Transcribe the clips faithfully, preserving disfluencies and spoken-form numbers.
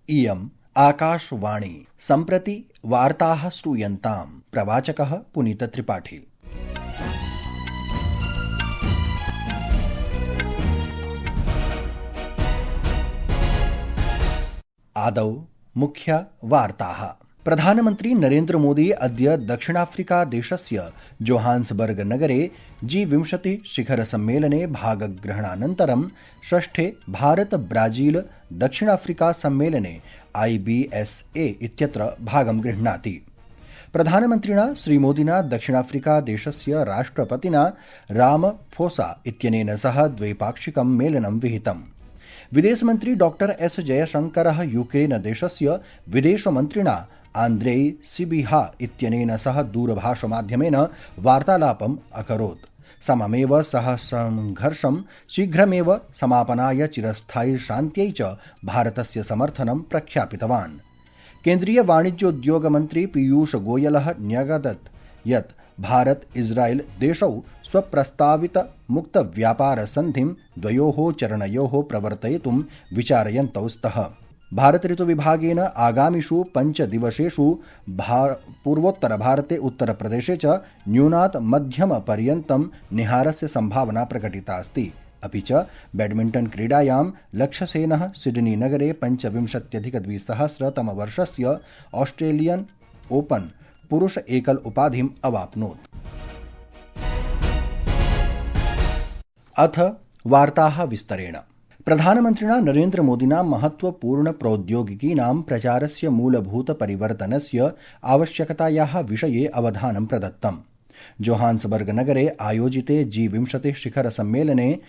इयम् आकाशवाणी। सम्प्रति वार्ताः श्रूयन्ताम्। प्रवाचकः पुनीतत्रिपाठी। आदौ मुख्य वार्ताः। प्रधानमन्त्री नरेन्द्र मोदी अद्य दक्षिणाफ्रिका देशस्य जोहान्सबर्ग नगरे जी विंशति शिखर सम्मेलने भागग्रहणानन्तरं षष्ठे भारत ब्राजील दक्षिणाफ्रिका सम्मेलने आई बी एस ए इत्यत्र भागं गृह्णाति। प्रधानमन्त्रिणा श्रीमोदिना दक्षिणाफ्रिका देशस्य राष्ट्रपतिना रामफोसा इत्यनेन सह द्वैपाक्षिकं मेलनं विहितम्। विदेशमन्त्री डॉक्टर एस जयशंकरः यूक्रेन देशस्य विदेशमन्त्रिणा आन्द्रेई सिबिहा इत्यनेन सह दूरभाषमाध्यमेन वार्तालापम् अकरोत्। सममेव सः संघर्षं शीघ्रमेव समापनाय चिरस्थायी शान्त्यै च भारतस्य समर्थनं प्रख्यापितवान्। केन्द्रीय वाणिज्योद्योग मन्त्री पीयूष गोयलः न्यगदत् यत् भारत इस्राएल देशौ स्वप्रस्तावित मुक्त व्यापार संधिं द्वयोः चरणयोः प्रवर्तयितुं विचारयन्तौ स्तः। भारत ऋतु विभागेन आगामिषु पञ्चदिवसेषु पूर्वोत्तरभारते उत्तरप्रदेशे च न्यूनात् मध्यमपर्यन्तं निहारस्य सम्भावना प्रकटिता अस्ति। अपि च बैडमिण्टन् क्रीडायां लक्ष्यसेनः सिडनी नगरे पञ्चविंशत्यधिकद्विसहस्रतमवर्षस्य ऑस्ट्रेलियन ओपन पुरुष एकल उपाधिम् अवाप्नोत्। अथ वार्ताः विस्तरेण। प्रधानमन्त्रिणा नरेन्द्र मोदिना महत्वपूर्ण प्रौद्योगिकीनां प्रचारस्य मूलभूत परिवर्तनस्य आवश्यकतायाः विषये अवधानं प्रदत्तम्। जोहान्सबर्ग नगरे आयोजिते जी विंशति शिखर सम्मेलने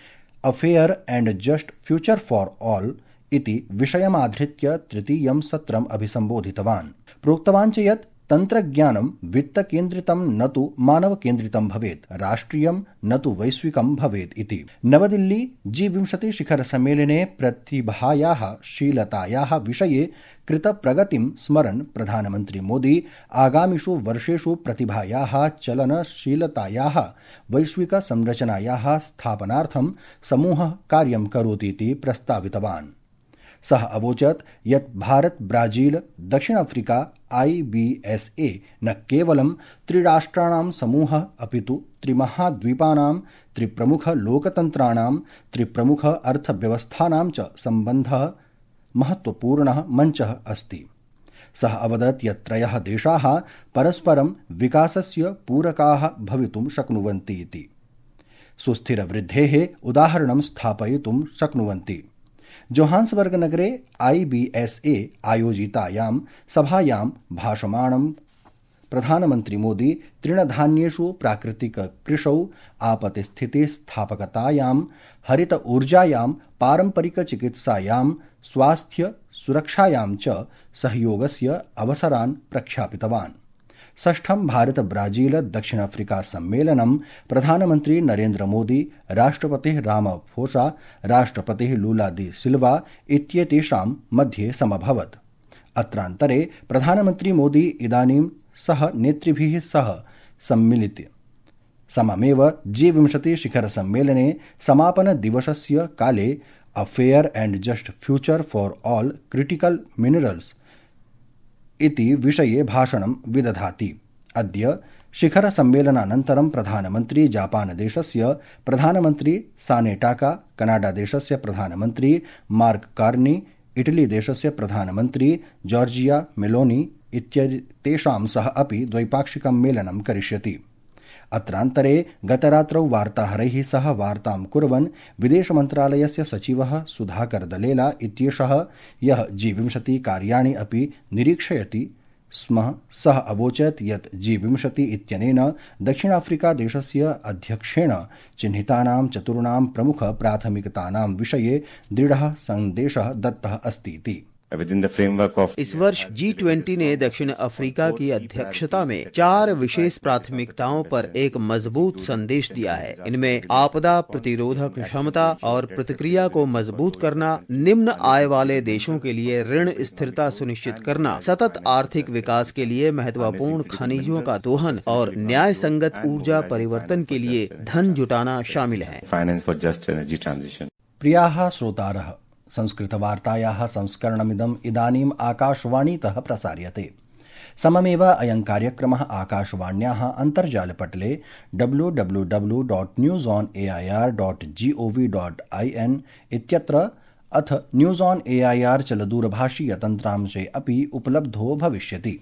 a fair and just future for all इति विषयमाधृत्य तृतीयं सत्रम् अभिसम्बोधितवान्। प्रोक्तवान् च यत् तन्त्रज्ञानं वित्तकेन्द्रितं न तु मानवकेन्द्रितं भवेत्, राष्ट्रियं न तु वैश्विकं भवेत् इति। नवदिल्ली जी विंशति शिखर सम्मेलने प्रतिभायाः शीलतायाः विषये कृतप्रगतिं स्मरन् प्रधानमन्त्री मोदी आगामिषु वर्षेषु प्रतिभायाः चलनशीलतायाः वैश्विक संरचनायाः स्थापनार्थं समूहः कार्यं करोति इति प्रस्तावितवान्। सः अवोचत् यत् भारत ब्राजील दक्षिण Africa I B S A न केवलं त्रिराष्ट्राणां समूहः अपितु त्रिमहाद्वीपानां त्रिप्रमुख लोकतन्त्राणां त्रिप्रमुख अर्थव्यवस्थानां च सम्बन्धः महत्वपूर्णः मञ्चः अस्ति। सः अवदत् यत् त्रयः देशाः परस्परं विकासस्य पूरकाः भवितुं शक्नुवन्ति इति। सुस्थिरवृद्धेः उदाहरणं स्थापयितुं शक्नुवन्ति। जोहान्सबर्ग नगरे आई बी एस ए आयोजितायां सभायां भाषमाणं प्रधानमन्त्री मोदी तृणधान्येषु प्राकृतिककृषौ आपतिस्थितिस्थापकतायां हरित ऊर्जायां पारम्परिकचिकित्सायां स्वास्थ्य सुरक्षायां च सहयोगस्य अवसरान् प्रख्यापितवान्। षष्ठं भारत ब्राजील दक्षिण अफ्रीका सम्मेलनं प्रधानमन्त्री नरेन्द्र मोदी राष्ट्रपतिः रामफोसा राष्ट्रपतिः लूला दी सिल्वा इत्येतेषां मध्ये समभवत्। अत्रान्तरे प्रधानमन्त्री मोदी इदानीं सह नेतृभिः सह सम्मिलित सममेव जी विंशति शिखर सम्मेलने समापन दिवसस्य काले a fair and just future for all critical minerals इति विषये भाषणं विदधाति। अद्य शिखर सम्मेलनानन्तरं प्रधानमन्त्री जापान देशस्य प्रधानमन्त्री सानेटाका, कनाडा देशस्य प्रधानमन्त्री मार्क कार्नी, इटली देशस्य प्रधानमन्त्री जॉर्जिया मेलोनी इत्येतेषां सह अपि द्वैपाक्षिकं मेलनं करिष्यति। अत्रान्तरे गतरात्रौ वार्ताहरैः सह वार्तां कुर्वन् विदेशमन्त्रालयस्य सचिवः सुधाकर दलेला इत्येषः यः जी विंशति कार्याणि अपि निरीक्षयति स्म सः अवोचत् यत् जी विंशति इत्यनेन दक्षिणाफ्रिका देशस्य अध्यक्षेण चिह्नितानां चतुर्णां प्रमुख प्राथमिकतानां विषये दृढः सन्देशः दत्तः अस्ति इति। इस वर्ष जी ट्वेंटी ने दक्षिण अफ्रीका की अध्यक्षता में चार विशेष प्राथमिकताओं पर एक मजबूत संदेश दिया है। इनमें आपदा प्रतिरोधक क्षमता और प्रतिक्रिया को मजबूत करना, निम्न आय वाले देशों के लिए ऋण स्थिरता सुनिश्चित करना, सतत आर्थिक विकास के लिए महत्वपूर्ण खनिजों का दोहन और न्याय संगत ऊर्जा परिवर्तन के लिए धन जुटाना शामिल है। प्रियाः श्रोतारः, संस्कृतवार्तायाः संस्करणमिदम् इदानीम् आकाशवाणीतः प्रसार्यते। सममेव अयं कार्यक्रमः आकाशवाण्याः अन्तर्जालपटले W W W dot news on A I R dot G O V dot I N इत्यत्र अथ news on A I R चलदूरभाषीयतन्त्रांशे अपि उपलब्धो भविष्यति।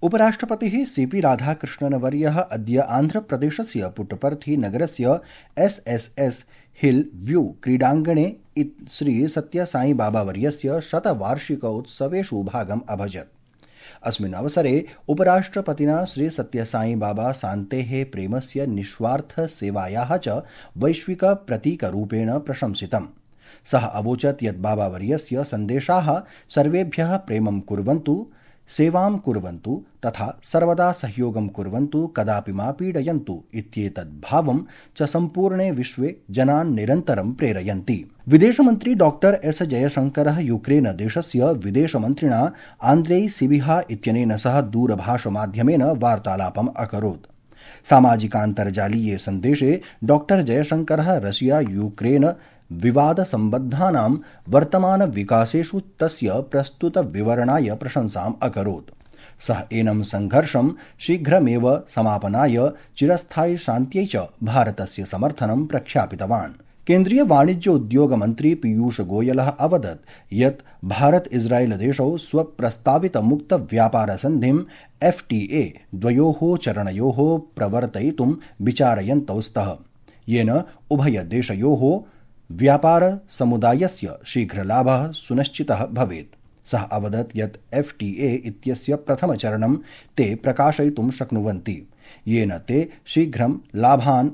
उपराष्ट्रपतिः सीपी राधाकृष्णनवर्यः अद्य आन्ध्रप्रदेशस्य पुट्टपर्थी नगरस्य S S S hill view क्रीडाङ्गणे श्री सत्यसाई बाबावर्यस्य शतवार्षिकोत्सवेषु भागम् अभजत्। अस्मिन् अवसरे उपराष्ट्रपतिना श्री सत्यसाई बाबा शान्तेः प्रेमस्य निस्वार्थसेवायाः च वैश्विकप्रतीकरूपेण प्रशंसितम्। सः अवोचत् यत् बाबावर्यस्य सन्देशाः सर्वेभ्यः प्रेमं कुर्वन्तु, सेवां कुर्वन्तु तथा सर्वदा सहयोगं कुर्वन्तु, कदापि मा पीडयन्तु इत्येतद् भावं च सम्पूर्णे विश्वे जनान् निरन्तरं प्रेरयन्ति। विदेशमन्त्री डॉक्टर एस जयशंकरः यूक्रेन देशस्य विदेशमन्त्रिणा आन्द्रेई सिबिहा इत्यनेन सह दूरभाषमाध्यमेन वार्तालापम् अकरोत्। सामाजिकान्तर्जालीये सन्देशे डॉक्टर जयशंकरः रशिया यूक्रेन विवादसम्बद्धानां वर्तमानविकासेषु तस्य प्रस्तुतविवरणाय प्रशंसाम् अकरोत्। सः एनं संघर्षं शीघ्रमेव समापनाय चिरस्थायि शान्त्यै च भारतस्य समर्थनं प्रख्यापितवान्। केन्द्रीय वाणिज्य उद्योग मन्त्री पीयूष गोयलः अवदत् यत् भारत इस्राएल देशौ स्वप्रस्तावित मुक्त व्यापार सन्धिं एफ् टी ए द्वयोः चरणयोः प्रवर्तयितुं विचारयन्तौ स्तः, येन उभयदेशयोः व्यापार समुदायस्य शीघ्रलाभः सुनिश्चितः भवेत्। सः अवदत् यत् एफ् टी ए इत्यस्य प्रथमचरणं ते प्रकाशयितुं शक्नुवन्ति, येन ते शीघ्रं लाभान्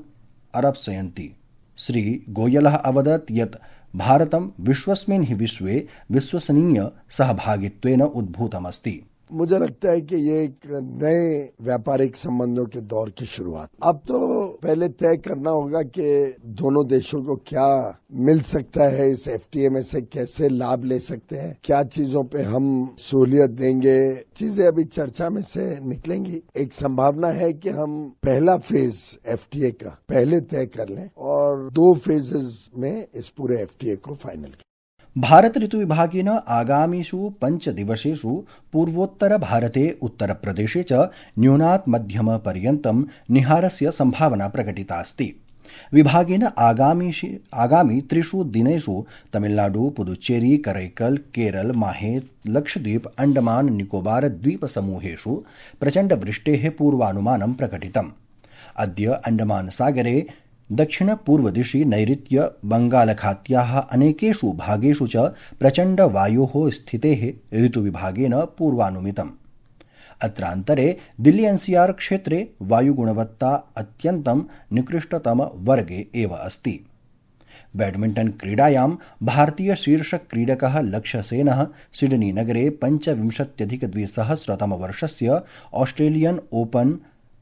अरप्स्यन्ति। श्री गोयलः अवदत् यत् भारतं विश्वस्मिन् हि विश्वे विश्वसनीय सहभागित्वेन उद्भूतमस्ति। मुझे लगता है कि ये एक नए व्यापारिक संबंधों के दौर की शुरुआत। अब तो पहले तय करना होगा कि दोनों देशों को क्या मिल सकता है, इस एफ टी ए में से कैसे लाभ ले सकते हैं, क्या चीजों पे हम सहूलियत देंगे, चीजें अभी चर्चा में से निकलेंगी। एक संभावना है कि हम पहला फेज एफ टी ए का पहले तय कर लें और दो फेजेस में इस पूरे एफ टी ए को फाइनल करें। भारत ऋतुविभागेन आगामिषु पञ्चदिवसेषु पूर्वोत्तर भारते उत्तरप्रदेशे च न्यूनात् मध्यम पर्यन्तं निहारस्य सम्भावना प्रकटिता अस्ति। विभागेन आगामी आगामी त्रिषु दिनेषु तमिलनाडु, पुदुच्चेरी, करैकल, केरल, माहे, लक्षद्वीप, अंडमान निकोबार द्वीप समूहेषु प्रचण्ड वृष्टेः पूर्वानुमानं प्रकटितम्। अद्य अंडमान सागरे दक्षिण पूर्वदिशि नैऋत्य बंगालखात्याः अनेकेषु भागेषु च प्रचण्ड वायोः स्थितेः ऋतुविभागेन पूर्वानुमितम्। अत्रान्तरे दिल्ली एन् सी आर् क्षेत्रे वायुगुणवत्ता अत्यन्तं निकृष्टतम वर्गे एव अस्ति। बैडमिण्टन् क्रीडायां भारतीय शीर्ष क्रीडकः लक्ष्यसेनः सिडनी नगरे पञ्चविंशत्यधिकद्विसहस्रतमवर्षस्य ऑस्ट्रेलियन ओपन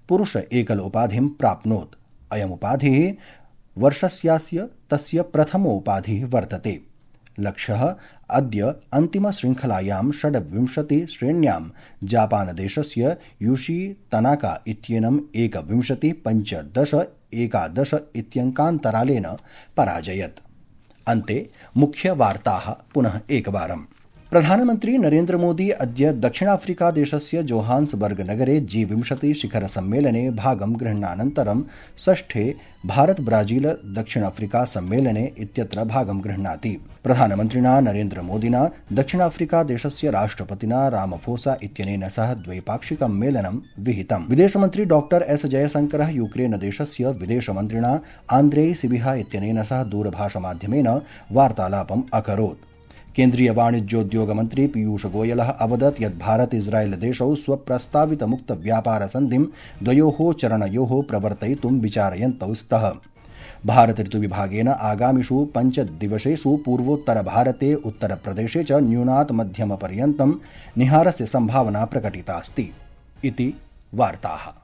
पुरुष एकल उपाधिं प्राप्नोत्। अयमुपाधिः वर्षस्यास्य तस्य प्रथमोपाधिः वर्तते। लक्ष्यः अद्य अन्तिमशृङ्खलायां षड्विंशति श्रेण्यां जापानदेशस्य यूशी तनाका इत्येनम् एकविंशति पञ्चदश एकादश इत्यङ्कान्तरालेन पराजयत्। अन्ते मुख्यवार्ताः पुनः एकवारम्। प्रधानमन्त्री नरेन्द्र मोदी अद्य दक्षिणाफ्रिकादेशस्य जोहान्सबर्ग नगरे जी विंशति शिखर सम्मेलने भागं गृह्णानन्तरं षष्ठे भारत ब्राजील दक्षिणाफ्रिका सम्मेलने इत्यत्र भागं गृह्णाति। प्रधानमन्त्रिणा नरेन्द्र मोदिना दक्षिणाफ्रिकादेशस्य राष्ट्रपतिना रामफोसा इत्यनेन सह द्वैपाक्षिकं मेलनं विहितम्। विदेशमन्त्री डॉक्टर एस जयशंकरः यूक्रेन देशस्य विदेशमन्त्रिणा आन्द्रेई सिबिहा इत्यनेन सह दूरभाषमाध्यमेन वार्तालापम् अकरोत्। केन्द्रीय वाणिज्योद्योग मन्त्री पीयूष गोयलः अवदत् यत् भारत इस्राएल देशौ स्वप्रस्तावित मुक्त व्यापार सन्धिं द्वयोः चरणयोः प्रवर्तयितुं विचारयन्तौ स्तः। भारत ऋतुविभागेन आगामिषु पञ्चदिवसेषु पूर्वोत्तर भारते उत्तरप्रदेशे च न्यूनात् मध्यम पर्यन्तं निहारस्य सम्भावना प्रकटितास्ति इति वार्ताः।